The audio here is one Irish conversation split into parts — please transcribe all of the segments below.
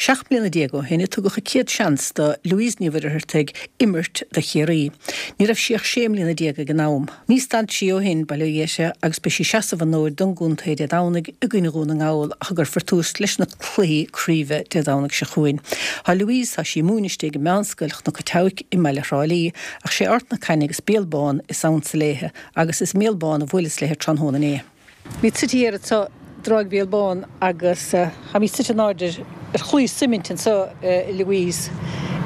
17 mbliana ó shin a tugadh a céad seans do Louise Ní Mhuircheartaigh imirt do Chiarraí. Ní raibh sí ach 16 mbliana ag an am. Ní stad sí ó shin, bail ó Dhia uirthi, agus beidh sí ag seasamh an fhóid don gcontae Dé Domhnaigh i gcoinne Dhún na nGall ach a gcuirfear tús leis na cluichí craoibhe Dé Domhnaigh seo chugainn. Tá Louise, tá sí ag múineadh istigh i Meánscoil Chnoc an tSeabhaic i mbaile Thrá Lí, ach sé Art na Caithne agus Béal Bán is ansa léithe agus is i mBéal Bán a bhuaileas léithe tráthnóna inné. Táimid suite thiar anseo i dTráigh Bhéal Bán agus táimid suite in airde ar chlaí suimint anseo, a Louise.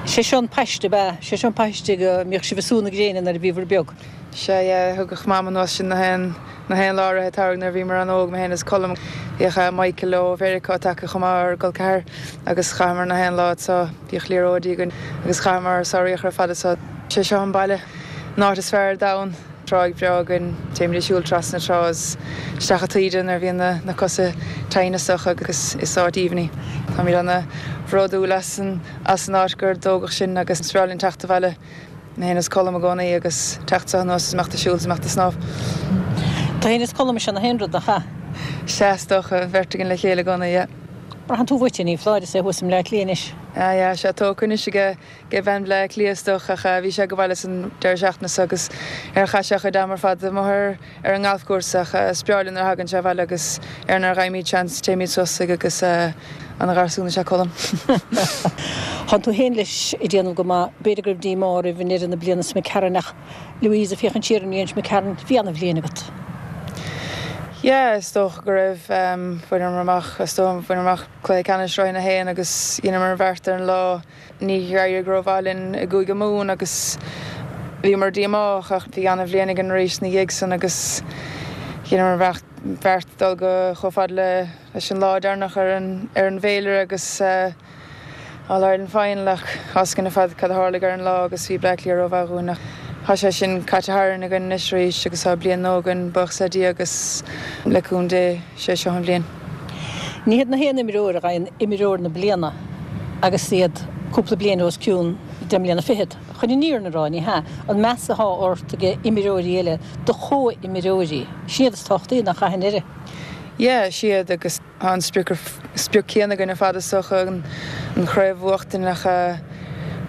Sé seo an paiste, ab ea? Sé seo an paiste go mbíodh sibh ag sú na gréine nuair a bhíobhair beag? Sea, yeah, thugadh Mam anuas sinn na haon, na haon lá i rith an tsamhraidh nuair a bhíomar an-óg, mé féin is Colm. Bhíodh Michael ó Mheiriceá tagtha chomh maith, ár gcol ceathar, agus chaitheamar na haon lá anseo. Bhíodh liathróidí againn agus chaitheamar ár samhraí ar fad anseo. Sé seo an baile, an áit is fearr ar domhan. Tráigh bhreá againn, téimid ag siúl trasna na trá is isteach an taoide nuair a bhíonn na cosa teannasach agus is áit aoibhinn í. Táimid ana bhródúil as an as an áit gur tógadh sinn agus is breá linn teacht abhaile, mé féin is Colm i gcónaí agus teacht anseo anuas is imeacht ag siúl is imeacht ag snámh. Tú féin is Colm is ea na haon rud, nach ea? Sea, is dócha, an bheirt againn le chéile i gcónaí, yeah. Braitheann tú uait é, ní foláir, is é thuas i mBleá Cliath anois. Ah yeah, sé tógtha anois aige ag bean Bhleá Cliath is dócha ach bhí sé ag baile san deireadh seachtaine seo agus ar chaith sé a chuid ama ar fad amuigh ar ar an ngalfchúrsa ach is breá linn nuair a thagann sé abhaile agus ar nuair a gheibhimid seans téimid suas chuige agus ana-gharsún is ea Colm. Thánn tú féin leis ag déanamh go maith. B'fhéidir go raibh díomá oraibh i ndeireadh na bliana seo imigh tharainn ach Louise, ag féachaint siar ar an mbliain seo imigh tharainn, bhí ana-bhliain agat. Yeah, is dócha go raibh. Bhaineamar amach, is dócha, bhaineamar amach cluiche ceannais Roinn 1 agus dheineamar an bheart ar an lá. Níor éirigh rómhaith linn i gCúige Mumhan agus bhíomar díomách ach bhí ana-bhliain againn arís ina dhiaidh san agus dheineamar an bheart dul go chomh fada leis an lá deireanach ar an ar an bhféilire agus All Ireland Final ach tá 's againn ar fad cad a tharlaigh ar an lá agus bhí Bleá Cliath rómhaith dhúinn ach tá sé sin caite tharainn againn anois arís agus tá bliain nua againn buíochas le Dia agus le cúnamh Dé sé seo an bhliain. Ní hiad na haon imreoir a fhaigheann Imreoir na Bliana agus iad cúpla bliain os cionn deich mbliana fichead. Chun an fhírinne a rá, ní hea. An meas atá ort ag imreoirí eile, do chomh-imreoirí, sin iad is tábhachtaí, nach ea, i ndeireadh? Yeah, siad agus tá an sprioc, sprioc céanna againn ar fad is dócha, an chraobh a bhuachtain ach deireadh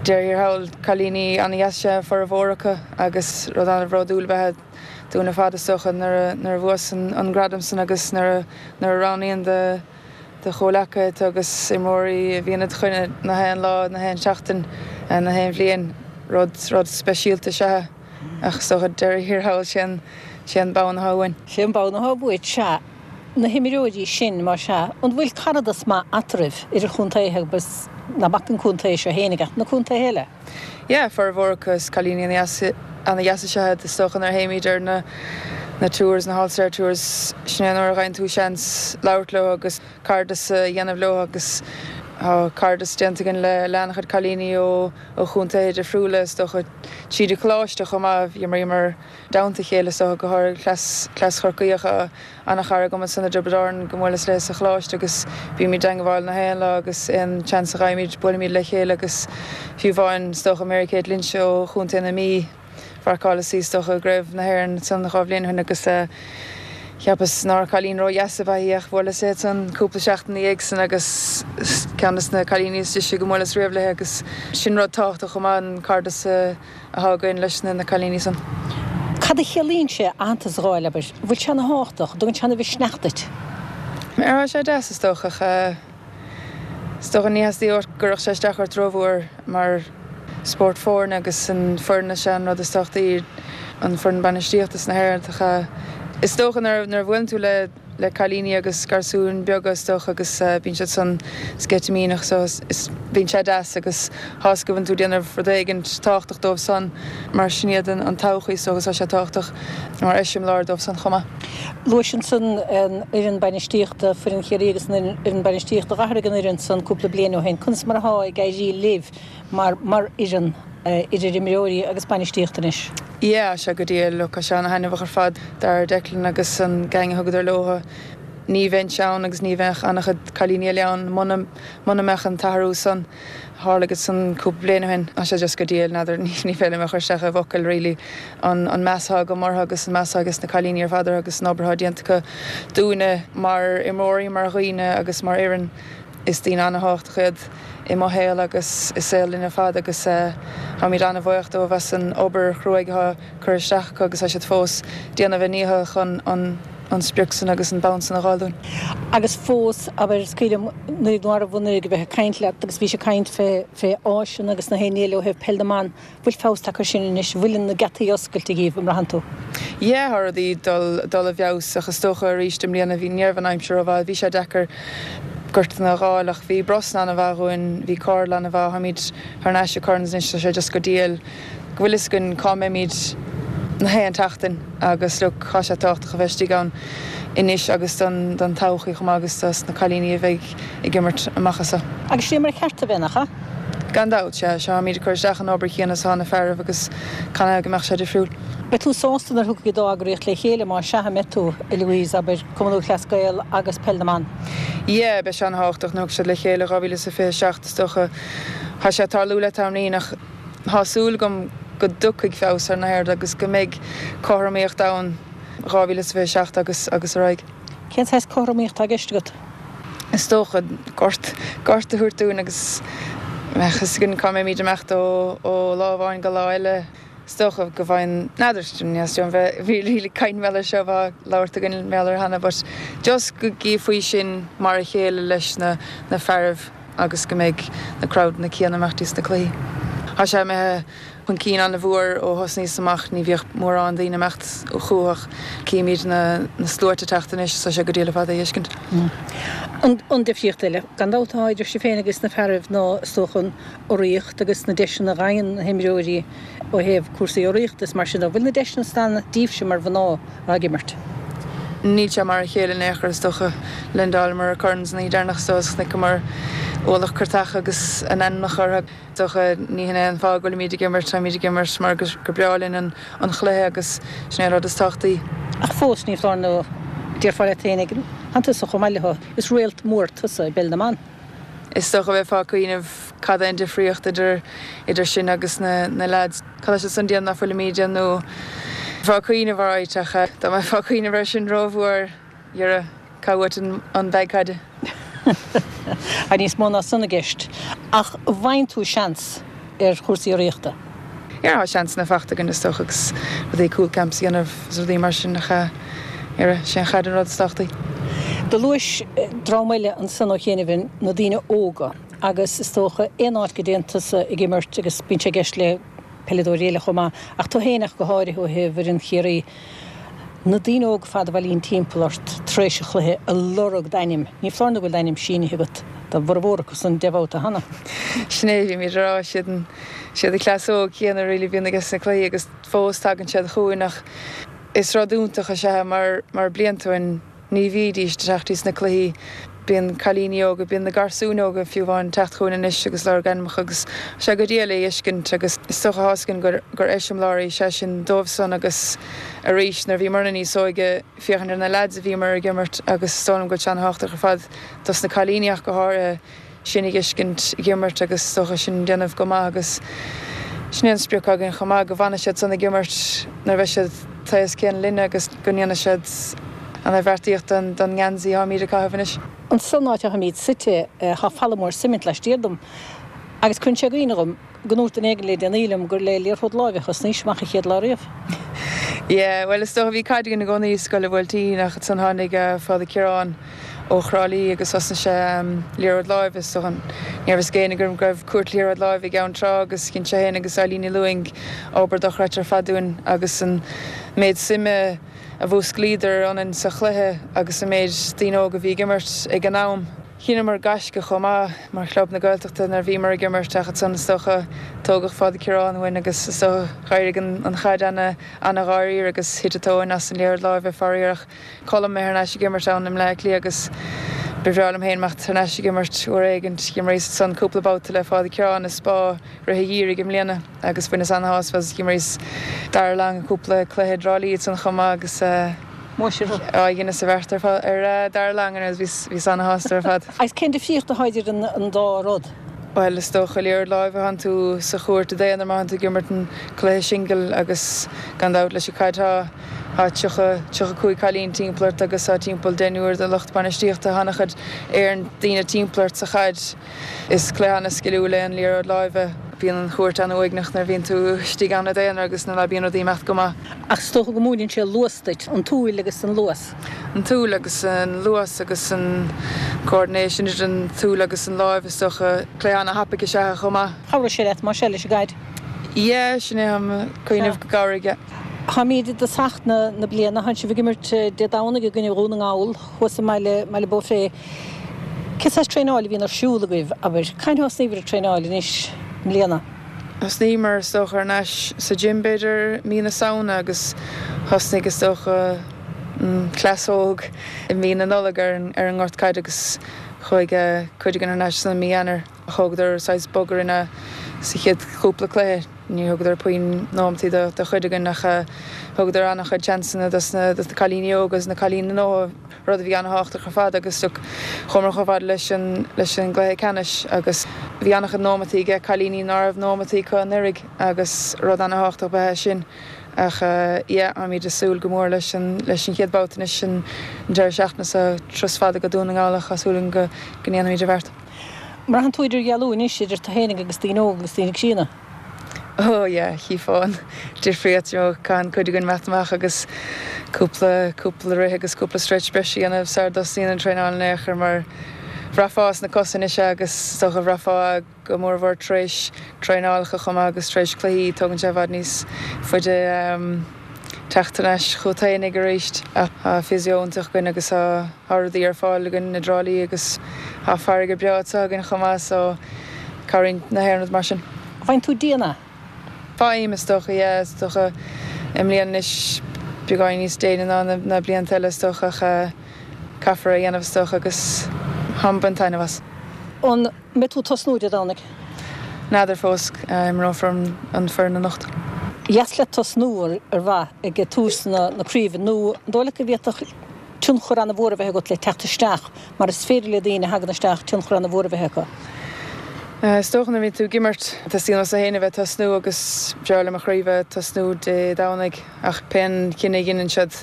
thiar thall, cailíní ana-dheas is ea formhór acu agus rud ana-bhródúil ab ea é dúinn ar fad is dócha nuair a, nuair a bhuas an gradam san agus nuair a, nuair a roghnaíonn do, do chomhleacaithe tú agus imreoirí a bhíonn id choinne na haon lá, na haon seachtain, na haon bhliain, rud, rud speisialta is ea é. Ach is dócha deireadh thiar thall sé an, sé an bonn atá uainn. Sé an bonn atá uait, sea. Na himreoirí sin, más ea, an bhfuil caradas maith eatarthu, idir chontaetha agus, ná bac an contae seo fhéinig ach na contaetha eile? Yeah, formhór acu is cailíní ana-dheasa is ea iad. Is dócha nuair a théimid ar na na tours, na All-Star Tours, sin é an uair a gheibheann tú seans labhairt leo agus cairdeas a dhéanamh leo agus tá cairdeas déanta againn le le an-chuid cailíní ó ó chontaetha difriúla is dócha tríd an choláiste chomh maith. Bhíomar i dteannta a chéile is dócha go háirithe cleas cleas Chorcaíoch a Ana-chara agam ansan i dTiobraid Árann go mbuaileas léi sa choláiste agus bímid i dteangabháil na haon lá agus aon chance a gheibhimid buailimid le chéile agus fiú amháin is dócha Mary Kate Lynch ó Chontae na Mí mharcáileas í is dócha i gCraobh na hÉireann ansan 2 bhliain ó shin agus cheapas nár chailín ró-dheas ab ea í ach bhuaileas léi ansan cúpla seachtain ina dhiaidh san agus ceann des na cailíní is deise go mbuaileas riamh léi agus sin rud tábhachtach chomh maith an cairdeas a atá againn leis na cailíní san. Cad a chiallaíonn sé aitheantas a dh'fháil, abair? An bhfuil sé ana thábhachtach? An dtugann sé ana mhisneach duit? Tá sé deas is dócha ach is dócha ní theastaíonn uait go gcuirfeadh sé isteach ort rómhór mar spórt foirne agus an foireann is ea an rud is tábhachtaí, an foireann bainistíochta sna hÉireann ach is dócha nuair a bhuaileann tú le le cailíní agus garsúin beaga is dócha agus bíonn siad san sceitimíneach so is bíonn sé deas agus tá 'fhios go bhfuil tú ag déanamh rud éigint tábhachtach dóibh san mar sin iad an todhchaí so agus tá sé tábhachtach mar eiseamláir dóibh san chomh maith. Luais ansan an fhoireann bainistíochta, foireann Chiarraí agus an fhoireann bainistíochta. D'athraigh an fhoireann san cúpla bliain ó shin. Conas mar atá ag éirí libh mar mar fhoireann idir imreoirí agus bainistíocht anois? Yeah, sea, go diail. Look, tá sé ana-thaitneamhach ar fad. Darragh Declan agus an gang a thugadar leo, ní bheinnse ann agus ní bheadh an-chuid cailíní eile ann muna, muna mbeadh an t-athrú san a tharlaigh ansan cúpla bliain ó shin. Tá sé just go diail, n'fheadar, ní féidir liom a chur isteach i bhfocail really an, an meas atá agam orthu agus an meas atá ages na cailíní ar fad orthu agus an obair atá déanta acu dúinne mar imreoirí, mar dhaoine agus mar fhoireann. Is daoine ana-thábhachtach iad i mo shaol agus i saol linn ar fad agus táimid ana-bhuíoch dóibh as an obair chruaidh atá curtha isteach acu agus tá siad fós déanamh a ndícheall chun an sprioc san agus an bonn san a dh'fháil dúinn. Agus fós, abair, is cuimhin liom nuair a bhí a bheith ag caint leat agus bhís ag caint fé fé áiseanna agus na haon ní eile ó thaobh peil na mban, Bhfuil feabhas tagtha air sin anois? Bhfuil na geataí oscailte dhíbh, an mbraitheann tú? Yeah, tá rudaí dul dul i bhfeabhas ach is dócha arís i mbliana bhí ní raibh an aimsir rómhaith, bhí sé deacair gortanna a dh'fháil ach bhí Brosna ana-mhaith dhúinn, bhí Cordal ana-mhaith, táimid thar n-ais i Currans anois, tá sé just go diail go bhfuil fhios againn cá mbeimid na haon tseachtain agus look tá sé tábhachtach a bheith istigh ann anois agus don don todhchaí chomh maith agus dos na cailíní a bheidh ag imirt amach anso. Agus sin é mar a cheart a bheith, nach ea? Gan dabht, sea. Sea, táimid ag cur isteach an obair chéanna is atá na fearaibh agus canathaobh go mbeadh sé difriúil? Beidh tú sásta nuair a thiocfaidh an dá eagraíocht le chéile, más ea, an mbeidh tú, a Louise, abair, Cumann Lúthchleas Gael agus Peil na mBan? Yeah, beidh sé an-thábhachtach nuair a thiocfaidh siad le chéile, 2027 is dócha. Tá sé ag tarlú le tamaillín ach tá súil agam go dtiocfaidh feabhas ar na haird agus go mbeidh cothromaíocht ann 2027 agus agus ar aghaidh. Cén saghas cothromaíocht atá i gceist agat? Is dócha gort, gort a thabhairt dúinn agus go mbeadh fhios againn cá mbeimid ag imeacht ó ó lá amháin go lá eile. Is dócha go bhfaigheann, n'fheadar, ní dóigh liom bheith really ag caint mar gheall air seo, bheith labhairt againn mar gheall air cheana but just go gcífí sinn mar a chéile leis na na fearaibh agus go mbeidh na crowdanna céanna ag imeacht dtí sna cluichí. Tá sé imithe chun cinn an-mhór ó thosnaíos amach, ní bhíodh mórán daoine ag imeacht chucu ach címid na sluaite ag teacht anois, tá sé go diail ar fad é a fheiscint. An difríocht eile, gan dabht, atá idir sibh féin agus na fearaibh ná, is dócha, an urraíocht agus na deiseanna a fhaigheann na himreoirí ó thaobh cúrsaí urraíochta is mar sin de. Bhfuil na deiseanna san daoibhse mar mhná atá ag imirt? Níl sé mar a chéile in aon chor, is dócha. Linn d'fháileamar ar Currans an oíche deireanach so is chonaiceamar ualach curtach agus a n-ainmneacha orthu. Is dócha, ní hin é an fáth go bhfuilimid ag imirt, táimid ag imirt mar gur breá linn an chluiche agus sin é an rud is tábhachtaí. Ach fós, ní foláir nó déarfá leat féin, tánn tusa chomh maith leo, is réalt mór tusa i bpeil na mban. Is dócha bheifeá ag cuimhneamh cad é an difríocht idir idir sinn agus na na leaids. Cad tá siad san ag déanamh nach bhfuilimid ag déanamh nó bheifeá ag cuimhneamh alright ach dá mbeifeá ag cuimhneamh air sin rómhór, dhera, cá uait an bag caide? Tá níos mó ná san i gceist. Ach an bhfaigheann tú seans ar chúrsaí urraíochta? Yeah, tá seansanna faighte againn is dócha agus rudaí cúl camps a dhéanamh is rudaí mar sin ach yeah, sé an chaid an rud is tábhachtaí. Do luais dream eile ansan ó chianaibh, na daoine óga, agus is dócha aon áit go dtéann tusa ag imirt agus bíonn sé i gceist le peileadóirí eile chomh maith, ach tú féin ach go háirithe ó thaobh fhoireann Chiarraí, Na daoine óga fad a bhailíonn timpeall ort tar éis an chluiche ag lorg d'ainm, ní foláir nó go bhfuil d'ainm sínithe agat do bhformhór acu san 10 mbabhta cheana. Sin é, bhímid ag rá, siad an, siad an cleas óg céanna really a bhíonn ages na cluichí agus fós tagann siad chugainn ach is rud iontach is ea é mar, mar blianta ó shin, Ní bhídís ag teacht dtí sna cluichí. Bíonn cailíní óga, bíonn na garsúin óga fiú amháin ag teacht chugainn anois agus lorg ainmneacha agus tá sé go diail é a fheiscint agus is dócha tá fhios againn gur gur eiseamláirí is ea sin dóibh san agus arís nuair a bhíomarna níos óige féachaint ar na leaids a bhíomar ag imirt agus is dóigh liom go bhfuil sé an-thábhachtach ar fad dos na cailíní ach go háirithe. sinn a dh'fheiscint ag imirt agus is dócha sinn ag déanamh go maith agus sin é an sprioc againn chomh maith, go bhfanfaidh siad san ag imirt nuair a bheidh siad taos céanna linne agus go ndéanfaidh siad an-bheartaíocht don ngeansaí atáimid ag caitheamh anois. Ansan áit atáimid suite tá falla mór suimint laistiar dom agus cuireann sé i gcuimhne dhom go ndúirt duine éigin le déanaí liom gur le liathróid láimhe a thosnaís amach an chéad lá riamh. Yeah, bhuel is dócha bhí caid againn i gcónaí i Scoil an Bhuailtín ach ansan tháinig Father Ciarán ó Thrá Lí agus thosnaigh sé liathróid láimhe is dócha ní raibh fhios ag éinne go raibh cúirt liathróid láimhe i gCeann Trá agus dhein sé féin agus Eileen Ní Lúing obair dochreidte ar fad dúinn agus an méid suime a mhúsclaíodar ionainn sa chluiche agus an méid daoine óga a bhí ag imirt ag an am. Dheineamar gaisce chomh maith mar chlub na Gaeltachta nuair a bhíomar ag imirt ach ansan is dócha tógadh Father Ciarán uainn agus is dócha d'éirigh an chaid ana ana-dháiríre agus thit an tóin as an liathróid láimhe faraor ach Colm mé thar n-ais ag imirt ann i mBleá Cliath agus ba bhreá liom féin imeacht thar n-ais ag imirt uair éigint. Dh'imríos ansan cúpla babhta le Father Ciarán i Spá rith an gheimhridh i mbliana agus bhaineas ana-shásamh as. Dh'imríos Dara Long cúpla cluiche i dTrá Lí ansan chomh maith agus Maise thú. Á, dheineas an bheart ar Dara Long agus bhíos ana-shásta ar fad. Agus cén difríocht atá idir an dá rud? Bhuel, is dócha, liathróid láimhe, thánn tú sa chúirt i d'aonar má thánn tú ag imirt an cluiche singil agus gan dabht leis an caid tá tá 30, 35 cailín timpeall ort agus tá timpeall deichniúr de lucht bainistíochta, tá an-chuid éireann daoine timpeall ort sa chaid. Is cluiche an-sciliúil é an liathróid láimhe. Bíonn an chúirt an-uaigneach nuair a bhíonn tú istigh ann i d'aonar agus nuair ná bíonn rudaí ag imeacht go maith. Ach is dócha go múineann sé luas duit, an tsúil agus an luas. An tsúil agus an luas agus an coordination idir an tsúil agus an láimh is dócha. Cluiche an-thapaidh is ea é chomh maith. Chabhródh sé leat más ea leis an gcaid? Yeah, sin é, táim ag cuimhneamh go gcabhróidh, yeah. Táimid i dtosach na bliana, tánn sibh ag imirt Dé Domhnaigh i gcoinne Dhún na nGall thuas i mBaile, mBaile Bó Cré. Cén saghas traenáil a bhíonn ar siúl agaibh, abair? Cathain a thosnaíobhair ag traenáil anois i mbliana? Thosnaíomar is dócha thar n-ais sa gym b'fhéidir mí na Samhna agus thosnaigh is dócha an cleas óg i mí na Nollag ar an ar an ngort caide agus chuaigh cuid againn thar n-ais san mí Eanáir. Thógadar saghas bog orainn sa chéad chúpla cluiche, ní thugadar puinn nóimeataí do chuid againn ach thugadar an-chuid seansanna dos na cailíní óga agus na cailíní nua, rud a bhí an-thábhachtach ar fad agus chuamar chomh fada leis an leis an gcluiche ceannais agus bhí an-chuid nóimeataí aige cailíní ná raibh nóimeataí acu anuraidh agus rud an-thábhachtach ba ea sin ach yeah táimid ag súil go mór leis an leis an chéad babhta anois an deireadh seachtaine seo, turas fada go Dún na nGall ach tá súil againn go go ndéanfaimid an bheart. Braitheann tú idirdhealú anois idir tú fhéinig agus daoine óga agus daoine críonna. Oh yeah, chífeá an difríocht, you know, caitheann cuid againn imeacht amach agus cúpla, cúpla rith agus cúpla stretch breise a dhéanamh sara dtosaíonn an traenáil in aon chor mar bhraithfeá sna cosa anois é agus is dócha bhraithfeá go mórmhór tar éis traenálacha chomh maith agus tar éis cluichí, tógann sé i bhfad níos faide teacht thar n-ais chugat fhéinig arís. Ach tá physio iontach againn agus tá tá rudaí ar fáil againn i dTrá Lí agus tá farraige breá anseo againn chomh maith so cabhraíonn na haon rud mar sin. Faigheann tú dian é? Faighim, is dócha, yeah, is dócha i mbliana anois beagáinín níos déine ná na blianta eile is dócha ach caithfear é a dhéanamh is dócha agus táim ag baint taitneamh as. An mbeidh tú ag tosnú Dé Domhnaigh? N'fheadar fós, imreofar an foireann anocht. Dheas leat tosnú ar mhaith ag tús na craoibhe nó an dóigh leat go bhféadfadh tionchar an-mhór a bheith agat le teacht isteach mar is féidir le daoine a thagann isteach tionchar an-mhór a bheith acu? Is dócha nuair a bhíonn tú ag imirt, teastaíonn uait féin a bheith ag tosnú agus b'fhearr le mo chroí bheith ag tosnú Dé Domhnaigh ach pén cinneadh a dheineann siad,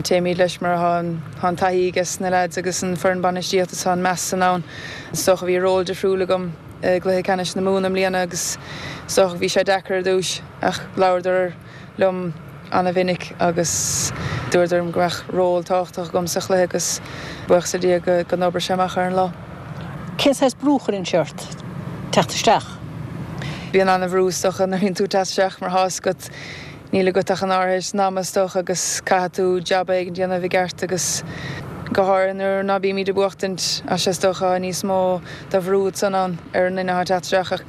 téimid leis mar tá an taithí ages na leaids agus an foireann bainistíochta tá an meas san ann. Is dócha bhí ról difriúil agam i gcluiche ceannais na Mumhan i mbliana agus is dócha bhí sé deacair ar dtús ach labhradar liom ana-mhinic agus dúradar liom go mbeadh ról tábhachtach agam sa chluiche agus buíochas le Dia go d'oibrigh sé amach ar an lá. Cén saghas brú a chuireann sé ort teacht isteach? Bíonn ana-bhrú is dócha nuair a bhíonn tú ag teacht isteach mar tá fhios agat níl agat ach an áirithe ama is dócha agus caithfidh tú jab éigin a dhéanamh i gceart agus go háirithe nuair ná bímid ag buachtaint tá sé is dócha níos mó de bhrú ansan ann ar an nduine atá ag teacht isteach ach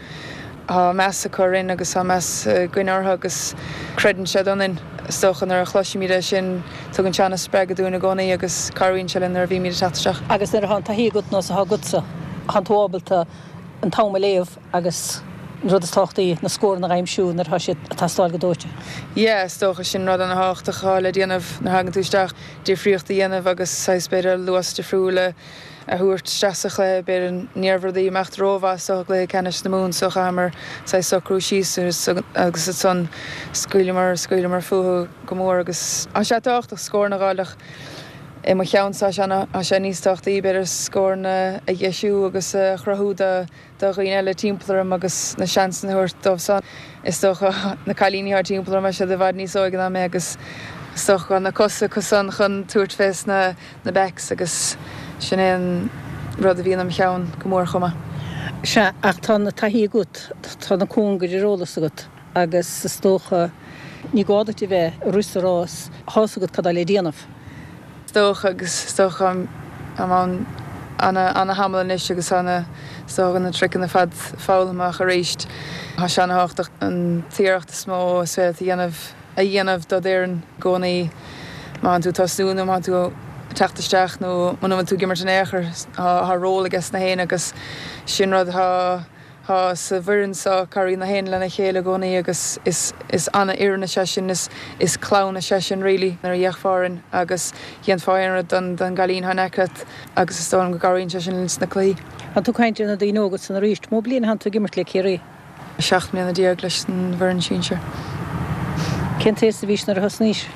Tá meas acu orainn agus tá meas againn orthu agus creideann siad ionainn. Is dócha nuair a chloisimid é sin, tugann sé an-spreagadh dúinn i gcónaí agus cabhraíonn sé linn nuair a bhímid ag teacht isteach. Agus nuair atá an taithí agat nós atá agatsa, tánn tú ábalta an t-am a léamh agus an rud is tábhachtaí, na scóranna a aimsiú nuair atá siad ag teastáil go dóite. Yeah, is dócha sin rud an-thábhachtach atá le déanamh nuair a thagann tú isteach, difríocht a dhéanamh agus saghas b'fhéidir luas difriúil a a thabhairt isteach sa chluiche. B'fhéidir ní raibh rudaí ag imeacht rómhaith sa gcluiche ceannais na Mumhan so chaitheamar saghas socrú síos agus ansan scaoileamar, scaoileamar fúthu go mór agus tá sé tábhachtach scóranna a dh'fháil ach i mo cheannsa tá sé níos tábhachtaí b'fhéidir scóranna a dheisiú agus a chruthú do do dhaoine eile timpeall orm agus na seansanna a thabhairt dóibh san. Is dócha na cailíní atá timpeall orm, tá siad i bhfad níos óige ná mé agus is dócha go bhfuil na cosa acu san chun tabhairt fés na na backs agus sin é an rud a bhíonn im cheann go mór chomh maith. Sea, ach tá na taithí agat, tá na cóngair ar eolas agat agus is dócha ní gá duit a bheith ag rith sa rás, tá's agat cad tá le déanamh. Is dócha agus is dócha táim ann ana-thamall anois agus tá na, is dócha na triceanna ar fad foghlamtha ach arís tá sé ana-thábhachtach an t-iarracht is mó is féidir leat a dhéanamh a dhéanamh do d'fhoireann i gcónaí má tánn tú ag tosnú nó má tánn tú ag teacht isteach nó muna bhfuil tú ag imirt in aon chor tá ról aige sna héinne agus sin rud atá. Thá sa bhfoireann so, cabhraíonn na haon lena chéile i gcónaí agus is is ana-fhoireann is ea sin, is is clann is ea sin really nuair a fhéachfá orainn agus dhéanfá aon rud don don gcailín thá in aice leat agus is dóigh liom go gcabhraíonn sé sin linn sna cluichí. Tá tú ag caint ar na daoine óga san arís. Mó bliain a thánn tú ag imirt le Ciarraí? 17 mbliana leis an bhfoireann sinsir. Cén t-aos a bhís nuair a thosnaís?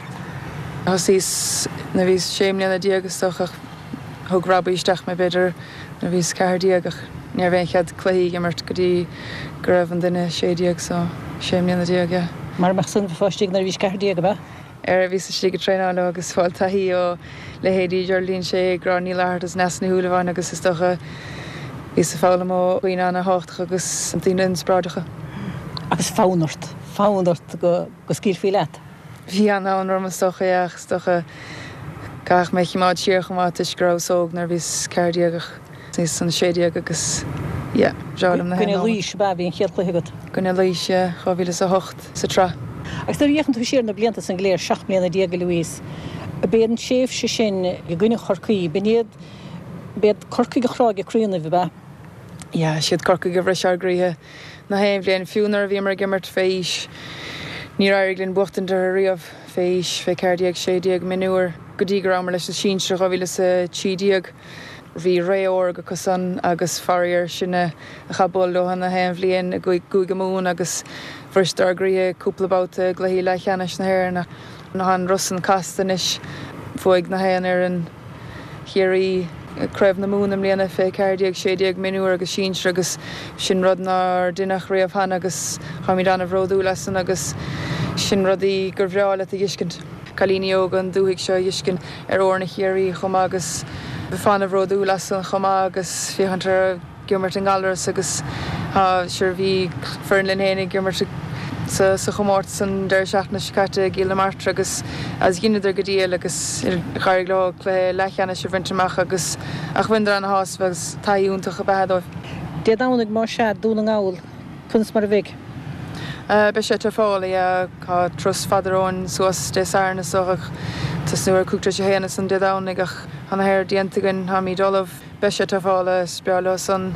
Thosaíos nuair a bhíos 16 mbliana is dócha ach thug Robbie isteach mé b'fhéidir nuair a bhíos 14 ach ní raibh aon chead cluichí a imirt go dtí go raibh an duine 16 so 16 mbliana yeah. Mar a mbeadh san bheifeá istigh nuair a bhís 14 ab ea? Ar bhíos istigh ag traenáil leo agus fáil taithí ó leithéidí Geraldine Shea, Gráinne Ní Fhlatharta is Neasa Ní Shúilleabháin agus is dócha bhíos ag foghlaim ó dhaoine ana-thábhachtach agus daoine inspioráideacha. Agus fonn ort, fonn ort go scaoilfí leat. Bhí an-fhonn orm is dócha, yeah, ach is dócha caithfidh mé choimeád siar chomh maith toisc go rabhas óg nuair a bhíos 14 ach níos an 16 agus yeah, breá liom na haon I gcoinne Laois ab ea a bhí an chéad chluiche agat? I gcoinne Laois, yeah, 2008 sa tsraith. Agus nuair a fhéachann tú siar ar na blianta san go léir, 17 mbliana, a Louise, ab é an tréimhse sin i gcoinne Chorcaí, b'in iad, b'iad Corcaigh a chráigh a gcroí ionaibh, ab ea? Yeah, siad Corcaigh a bhris ár gcroíthe na haon bhliain, fiú nuair a bhíomar ag imirt fé aois, níor éirigh linn buachtaint orthu riamh fé aois, fé 14, 16, mionúir, go dtí go rabhamar leis na sinsir 2013. Bhí ré órga acu san agus faraor sinne a chaith bualadh leo na haon bhliain i gCúige Mumhan agus bhriseadar ár gcroíthe cúpla babhta i gcluichí leathcheannais na hÉireann ach tá an rud san casta anois. Bhuaigh na haon fhoireann Chiarraí Craobh na Mumhan i mbliana fé 14, 16 mionúr agus sinsir agus sin rud nár deineadh riamh cheana agus táimid ana-bhródúil as san agus sin rudaí gur bhreá leat a dh'fheiscint. Cailíní óga an dúthaigh seo a dh'fheiscint ar fhoirne Chiarraí chomh maith agus bheifeá ana-bhródúil as san chomh maith agus féachaint orthu ag imirt i nGallaras agus sure bhí foireann linn féin ag imirt sa sa chomórtas an deireadh seachtaine seo caite i gCill na Martra agus agus dheineadar go diail agus d'éirigh leo cluiche leathcheannais a bhaint amach agus ach bhaineadar ana-shásamh agus taithí iontach ab ea dóibh. Dé Domhnaigh más ea, Dún na nGall, conas mar a bheidh? Beidh sé tafála, yeah. Tá turas fada romhainn suas Dé Sathairn is dócha ach tosnú ar 1:25 ansan Dé Domhnaigh ach tá na haon rud déanta againn, táimid ullamh. Beidh sé tafála, is breá leo san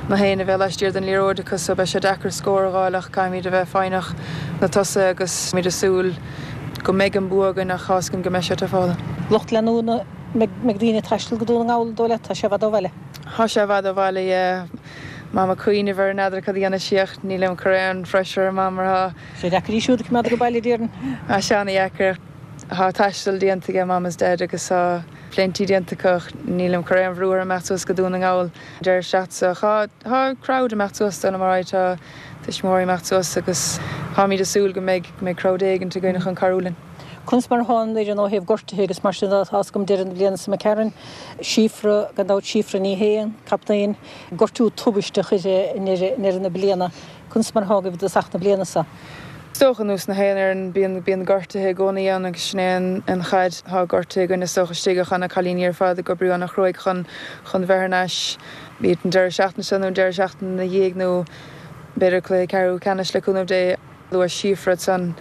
na haon a bheith laistiar den liathróid acu so beidh sé deacair scór a dh'fháil ach caithfimid a bheith foighneach na tosaithe agus táimid ag súil go mbeidh an bua againn ach tá's againn go mbeidh sé tafála. Lucht leanúna, mbeidh daoine ag taisteal go Dún na nGall, an dóigh leat? Tá sé i bhfad ó bhaile. Tá sé i bhfad ó bhaile, yeah. Mam ag cuimhneamh air, n'fheadar cad a dhéanfaidh sí ach nílim ag cur aon phressure ar Mam mar tá. sé deacair í siúd a choimeád ag baile, déarfainn. Tá sé ana-dheacair. Tá taisteal déanta aige Mam is Dad agus tá plenty déanta acu ach nílim ag cur aon bhrú orthu imeacht suas go Dún na nGall an deireadh seachtaine seo. Tá tá crowd imeacht suas dóigh liom alright tá tuismitheoirí imeacht suas agus táimid ag súil go mbeidh go mbeidh crowd éigint againn chun cabhrú linn. Conas mar atá an fhoireann ó thaobh gortuithe agus mar sin de? Tá's agam deireadh na bliana seo imigh tharainn, Síofra, gan dabht Síofra Ní Shé, an captaen, gortú tubaisteach uirthi i ndeireadh na bliana. Conas mar atá agaibh i dtosach na bliana seo? Is dócha, ar nós na haon fhoireann, bíonn bíonn gortuithe i gcónaí ann agus sin é an an chaid. Tá gortuithe againn is dócha istigh ach tá na cailíní ar fad ag oibriú ana-chruaidh chun chun bheith thar n-ais, bíodh an deireadh seachtaine seo nó an deireadh seachtaine ina dhiaidh nó b'fhéidir cluiche ceathrú ceannais le cúnamh Dé. Luaigh Síofra ansan.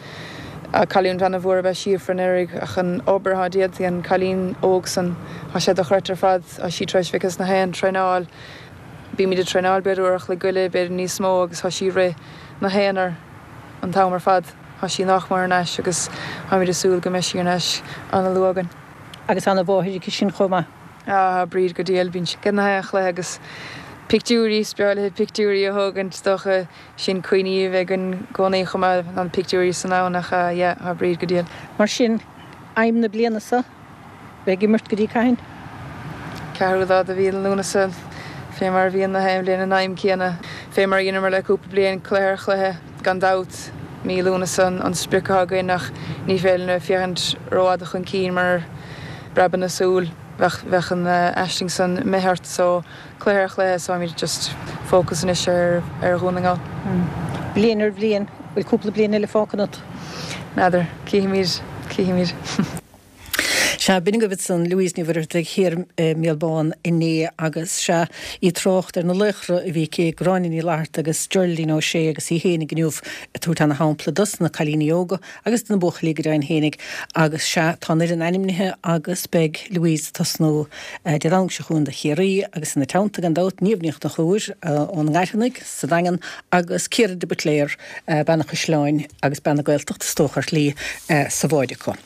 Cailliúint ana-mhór ab ea Síofra anuraidh ach an obair atá déanta ag an cailín óg san, tá sé dochreidte ar fad. Tá sí tar éis bheith ag na haon traenáil. Bímid ag traenáil b'fhéidir uair a chloig uile, b'fhéidir níos mó agus tá sí ag rith na haon uair an t-am ar fad. Tá sí nách mór thar n-ais agus táimid ag súil go mbeidh sí thar n-ais ana-luath againn. Agus ana-mháthair aici sin chomh maith. Tá Bríd go diail. Bíonn sí ag na haon chluiche agus pictiúirí, is breá léi pictiúirí a thógaint is dócha. Sin cuimhní a bheidh againn i gcónaí chomh maith, na pictiúirí san ann ach yeah, tá Bríd go diail. Mar sin, aidhm na bliana seo, bheith ag imirt go dtí cathain? Ceathrú lá de mhí Lúnasa, fé mar a bhíonn na haon bhliain an aidhm céanna, fé mar a dheineamar le cúpla bliain, cluiche ar chluiche, gan dabht, mí Lúnasa an sprioc atá againn ach ní féidir linn a bheith féachaint rófhada chun cinn mar preabann na súl, bheadh, bheadh an aisling san imithe ort so. Cluiche ar chluiche so táimid just focus anois ar ar Dhún na nGall. Bliain ar bhliain, bhfuil cúpla bliain eile fágtha ionat? N'fheadar. Cífimid. Cífimid. Sea, b'in agaibh ansan Louise Ní Mhuircheartaigh thiar i mBéal Bán inné agus, sea, í ag trácht ar na laochra a bhí aici, Gráinne Ní Fhlatharta agus Geraldine O'Shea agus í fhéinig inniu ag tabhairt ana shampla dos na cailíní óga agus do na buachaillí go deimhin fhéinig agus, sea, tá an fhoireann ainmnithe agus beidh Louise ag tosnú Dé Domhnaigh seo chugainn do Chiarraí agus ina teannta gan dabht Niamh Ní Chonchúir ón nGairfeanaigh sa Daingean agus Ciara de Buitléar, bean an Chaisleáin agus bean na Gaeltachta is dócha ar shlí sa bhád acu.